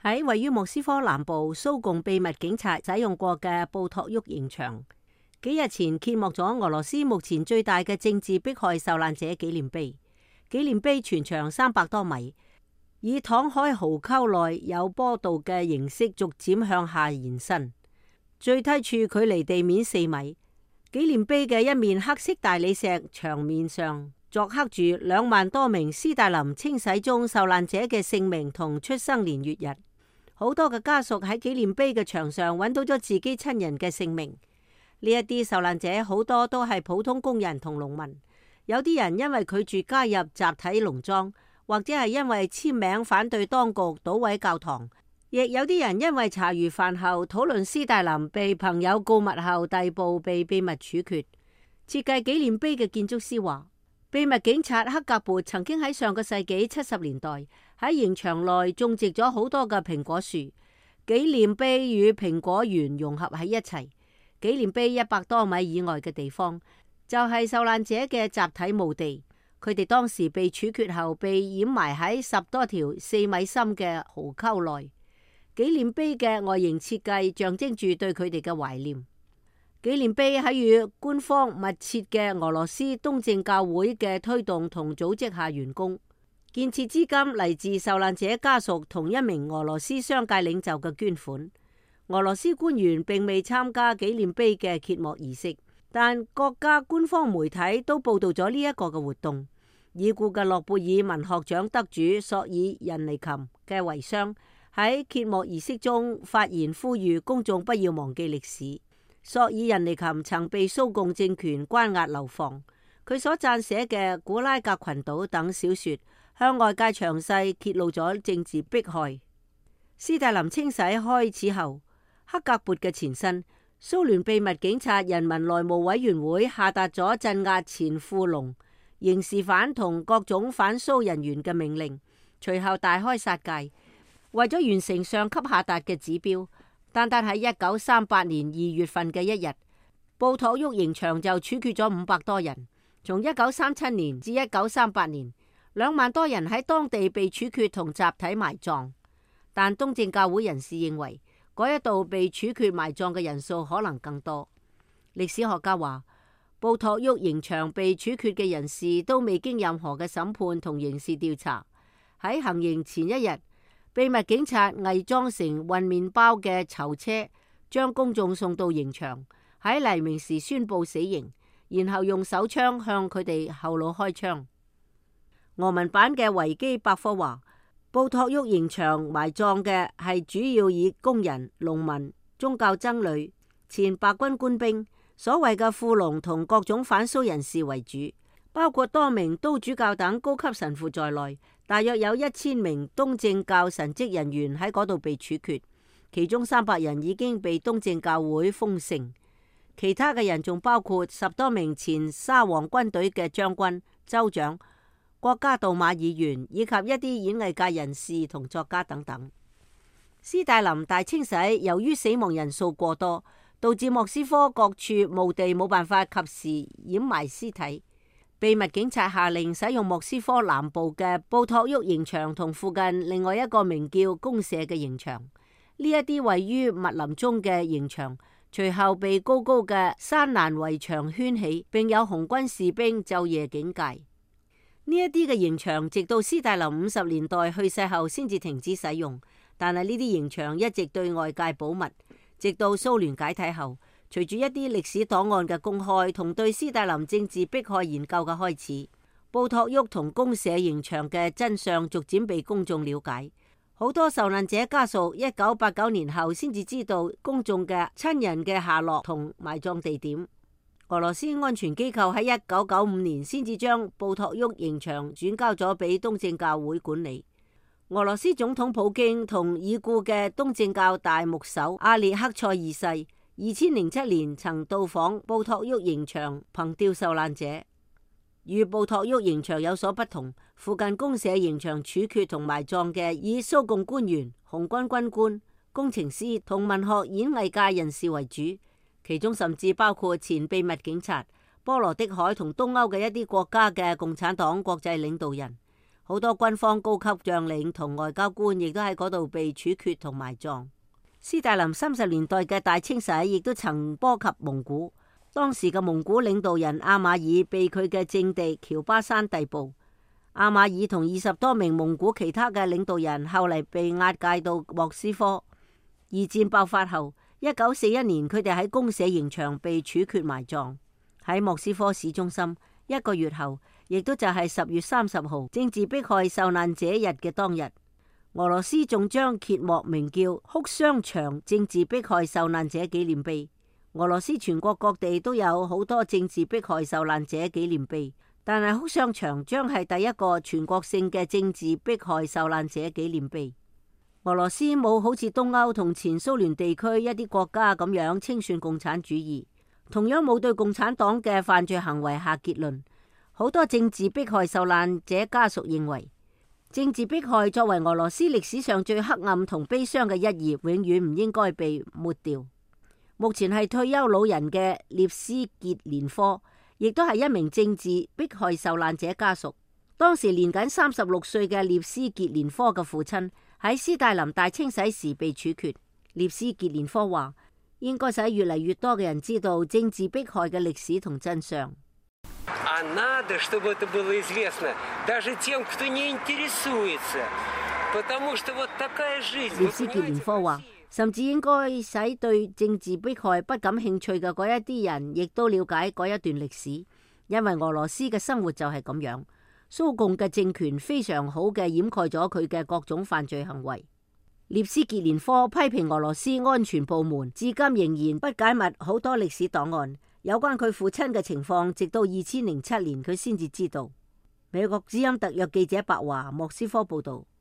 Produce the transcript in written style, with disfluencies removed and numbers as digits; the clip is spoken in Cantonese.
喺位於莫斯科南部蘇共秘密警察使用過嘅布托沃刑場，幾日前揭幕咗俄羅斯目前最大嘅政治迫害受難者紀念碑。紀念碑全長300多米，以躺海壕溝內有坡道嘅形式逐漸向下延伸，最低處距離地面4米。紀念碑嘅一面黑色大理石牆面上鑿刻住2萬多名斯大林清洗中受難者嘅姓名同出生年月日。好多嘅家屬喺紀念碑嘅牆上揾到咗自己親人嘅姓名。呢一啲受難者好多都係普通工人同農民，有啲人因為拒絕加入集體農莊，或者係因為簽名反對當局搗毀教堂，亦有啲人因為茶餘飯後討論斯大林被朋友告密後逮捕被秘密處決。設計紀念碑嘅建築師話，秘密警察克格勃曾經喺上個世紀70年代喺刑場內種植咗好多嘅蘋果樹，紀念碑與蘋果園融合喺一齊。紀念碑100多米以外嘅地方就係受難者嘅集體墓地，佢哋當時被處決後被掩埋喺10多條4米深嘅壕溝內。紀念碑嘅外形設計象徵住對佢哋嘅懷念。紀念碑喺與官方密切嘅俄羅斯東正教會嘅推動同組織下完工，建設資金嚟自受難者家屬同一名俄羅斯商界領袖嘅捐款。俄羅斯官員並未參加紀念碑嘅揭幕儀式，但國家官方媒體都報道咗呢一個嘅活動。已故嘅諾貝爾文學獎得主索爾仁尼琴嘅遺孀喺揭幕儀式中發言，呼籲公眾不要忘記歷史。索爾仁尼琴曾被蘇共政權關押流放，佢所撰寫嘅《古拉格群島》等小說向外界詳細揭露咗政治迫害。斯大林清洗開始後，克格勃嘅前身蘇聯秘密警察人民內務委員會下達咗鎮壓前富農、刑事犯同各種反蘇人員嘅命令，隨後大開殺戒，為咗完成上級下達嘅指標。單單喺1938年2月份嘅一日，布托沃刑場就處決咗500多人。從1937年至1938年，2萬多人喺當地被處決同集體埋葬。但東正教會人士認為，嗰一度被處決埋葬嘅人數可能更多。歷史學家話，布托沃刑場被處決嘅人士都未經任何嘅審判同刑事調查。喺行刑前一日，秘密警察偽裝成運麵包嘅囚車，將公眾送到刑場，喺黎明時宣布死刑，然後用手槍向佢哋後腦開槍。俄文版嘅維基百科話，布托沃刑場埋葬嘅係主要以工人、農民、宗教僧侶、前白軍官兵、所謂嘅富農同各種反蘇人士為主，包括多名都主教等高級神父在內。大約有1000名東正教神職人員喺嗰度被處決，其中300人已經被東正教會封聖，其他嘅人仲包括10多名前沙皇軍隊嘅將軍、州長、國家杜馬議員以及一啲演藝界人士同作家等等。斯大林大清洗由於死亡人數過多，導致莫斯科各處墓地冇辦法及時掩埋屍體。秘密警察下令使用莫斯科南部嘅布托沃刑場同附近另外一個名叫公社嘅刑場。呢一啲位於密林中嘅刑場，隨後被高高嘅山欄圍牆圈起，並有紅軍士兵晝夜警戒。呢一啲嘅刑場直到斯大林50年代去世後先至停止使用，但係呢啲刑場一直對外界保密，直到蘇聯解體後。隨住一啲歷史檔案嘅公開同對斯大林政治迫害研究嘅開始，布托沃同公社刑場嘅真相逐漸被公眾了解。好多受難者家屬1989年後先至知道公眾嘅親人嘅下落同埋葬地點。俄羅斯安全機構喺1995年先至將布托沃刑場轉交咗俾東正教會管理。俄羅斯總統普京同已故嘅東正教大牧首阿列克塞二世2007年曾到訪布托沃刑場憑吊受難者。與布托沃刑場有所不同，附近公社刑場處決同埋葬嘅以蘇共官員、紅軍軍官、工程師同文學演藝界人士為主，其中甚至包括前秘密警察、波羅的海同東歐嘅一啲國家嘅共產黨國際領導人。好多軍方高級將領同外交官亦都喺嗰度被處決同埋葬。斯大林30年代嘅大清洗亦都曾波及蒙古，當時嘅蒙古領導人阿馬爾被佢嘅政敵喬巴山逮捕。阿馬爾同20多名蒙古其他嘅領導人後嚟被押解到莫斯科。二戰爆發後，1941年佢哋喺公社刑場被處決埋葬。喺莫斯科市中心，1個月後，亦都就係10月30號政治迫害受難者日嘅當日，俄羅斯仲將揭幕名叫哭雙牆政治迫害受難者紀念碑。俄羅斯全國各地都有好多政治迫害受難者紀念碑，但係哭雙牆將係第一個全國性嘅政治迫害受難者紀念碑。俄羅斯冇好似東歐同前蘇聯地區一啲國家咁樣清算共產主義，同樣冇對共產黨嘅犯罪行為下結論。好多政治迫害受難者家屬認為，政治迫害作為俄羅斯歷史上最黑暗同悲傷嘅一頁，永遠唔應該被抹掉。目前係退休老人嘅列斯傑連科，亦都係一名政治迫害受難者家屬。當時年僅36歲嘅列斯傑連科嘅父親喺斯大林大清洗時被處決。列斯傑連科話，應該使越嚟越多嘅人知道政治迫害嘅歷史同真相。列斯傑連科話，甚至應該使對政治迫害不感興趣嘅嗰一啲人，亦都了解嗰一段歷史，因為俄羅斯嘅生活就係咁樣。蘇共嘅政權非常好嘅掩蓋咗佢嘅各種犯罪行為。列斯傑連科批評俄羅斯安全部門至今仍然不解密好多歷史檔案，有關佢父親嘅情況，直到2007年佢先至知道。美國之音特約記者白華莫斯科報道。